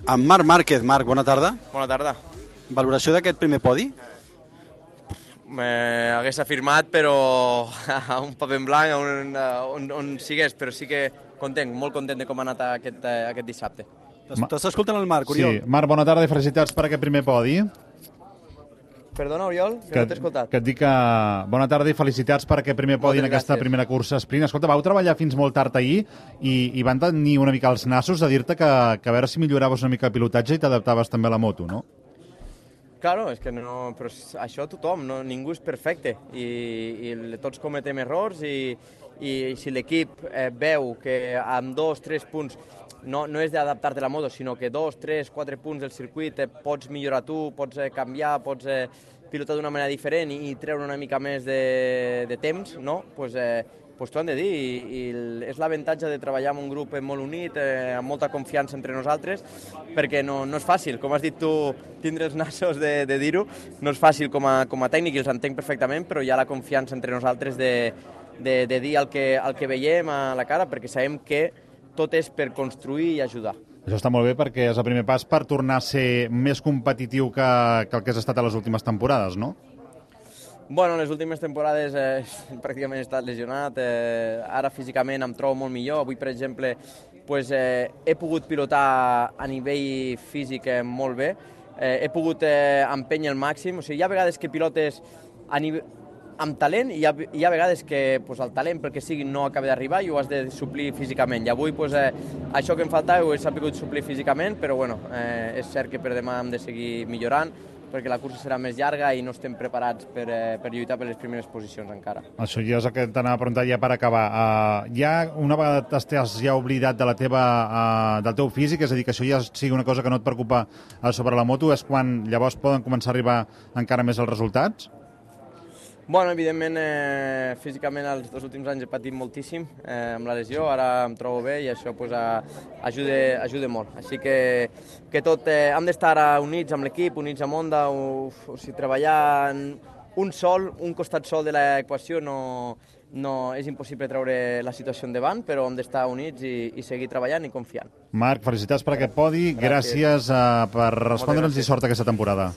Amb Marc Márquez. Marc, bona tarda. Bona tarda. Valoració d'aquest primer podi? Hagués afirmat, però a un paper en blanc, on sigués, però sí que content, molt content de com ha anat aquest dissabte. T'estàs escoltant el Marc, Oriol? Sí, Marc, bona tarda i felicitats per aquest primer podi. Perdona, Oriol, que no t'he escoltat. Que et dic que bona tarda i felicitats per aquest primer podi en aquesta primera cursa sprint. Escolta, vau treballar fins molt tard ahir i van tenir una mica els nassos de dir-te que a veure si milloraves una mica el pilotatge i t'adaptaves també a la moto, no? Claro, és que no, però això tothom, no, ningú és perfecte i tots cometem errors i si l'equip veu que amb 2-3 punts no és d'adaptar-te a la moto, sinó que 2, 3, 4 punts del circuit pots millorar tu, pots canviar, pots pilotar d'una manera diferent i treure una mica més de temps, no? Pues t'ho han de dir i és l'avantatge de treballar amb un grup molt unit, amb molta confiança entre nosaltres, perquè no és fàcil, com has dit tu, tindre els nassos de dir-ho, no és fàcil com a tècnic i els entenc perfectament, però hi ha la confiança entre nosaltres de dir el que veiem a la cara, perquè sabem que tot és per construir i ajudar. Això està molt bé perquè és el primer pas per tornar a ser més competitiu que el que has estat a les últimes temporades, no? Bueno, les últimes temporades pràcticament he estat lesionat, ara físicament em trobo molt millor. Avui, per exemple, he pogut pilotar a nivell físic molt bé, he pogut empènyer al màxim, o sigui, hi ha vegades que pilotes amb talent i hi ha vegades que el talent, pel que sigui, no acaba d'arribar i ho has de suplir físicament. I avui això que em faltava ho he sabut suplir físicament, però bueno, és cert que per demà hem de seguir millorant, perquè la cursa serà més llarga i no estem preparats per lluitar per les primeres posicions encara. Això ja és el que t'anava a preguntar ja per acabar. Una vegada t'has ja oblidat del teu físic, és a dir, que això ja sigui una cosa que no et preocupa sobre la moto, és quan llavors poden començar a arribar encara més els resultats? Bueno, evidentment, físicament els 2 últims anys he patit moltíssim amb la lesió, ara em trobo bé i això ajuda molt. Així que tot, hem d'estar units amb l'equip, units amb Honda, o sigui, treballar en un costat sol de l'equació no és impossible treure la situació endavant, però hem d'estar units i seguir treballant i confiant. Marc, felicitats per aquest podi, gràcies per respondre'ns i sort aquesta temporada.